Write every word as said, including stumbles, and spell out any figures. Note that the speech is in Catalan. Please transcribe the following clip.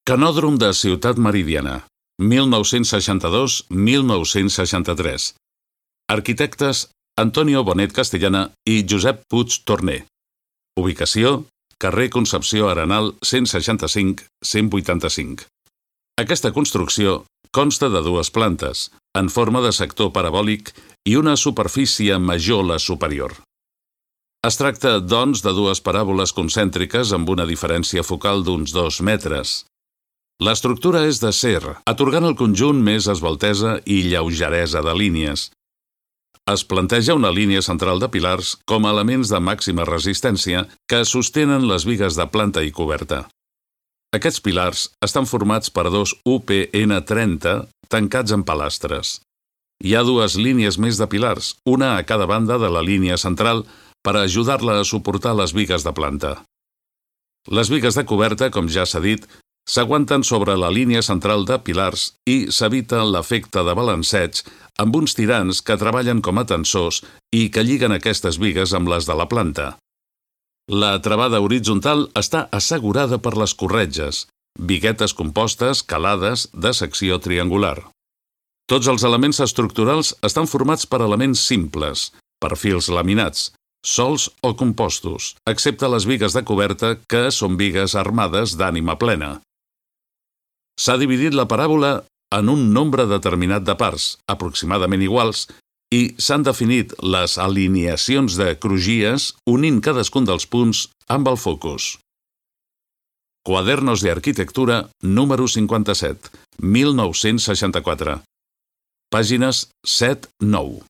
Canòdrom de Ciutat Meridiana, mil nou-cents seixanta-dos a mil nou-cents seixanta-tres. Arquitectes Antonio Bonet Castellana i Josep Puig Torner. Ubicació: carrer Concepció Arenal cent seixanta-cinc a cent vuitanta-cinc. Aquesta construcció consta de dues plantes, en forma de sector parabòlic i una superfície major la superior. Es tracta, doncs, de dues paràboles concèntriques amb una diferència focal d'uns dos metres. L'estructura és d'acer, atorgant al conjunt més esveltesa i lleugeresa de línies. Es planteja una línia central de pilars com a elements de màxima resistència que sostenen les bigues de planta i coberta. Aquests pilars estan formats per dos U P N trenta tancats en palastres. Hi ha dues línies més de pilars, una a cada banda de la línia central, per ajudar-la a suportar les bigues de planta. Les bigues de coberta, com ja s'ha dit, s'aguanten sobre la línia central de pilars i s'evita l'efecte de balanceig amb uns tirants que treballen com a tensors i que lliguen aquestes bigues amb les de la planta. La travada horitzontal està assegurada per les corretges, biguetes compostes calades de secció triangular. Tots els elements estructurals estan formats per elements simples, per fils laminats, sols o compostos, excepte les bigues de coberta, que són bigues armades d'ànima plena. S'ha dividit la paràbola en un nombre determinat de parts, aproximadament iguals, i s'han definit les alineacions de crugies unint cadascun dels punts amb el focus. Cuadernos de Arquitectura número cinquanta-set, mil nou-cents seixanta-quatre. Pàgines set nou.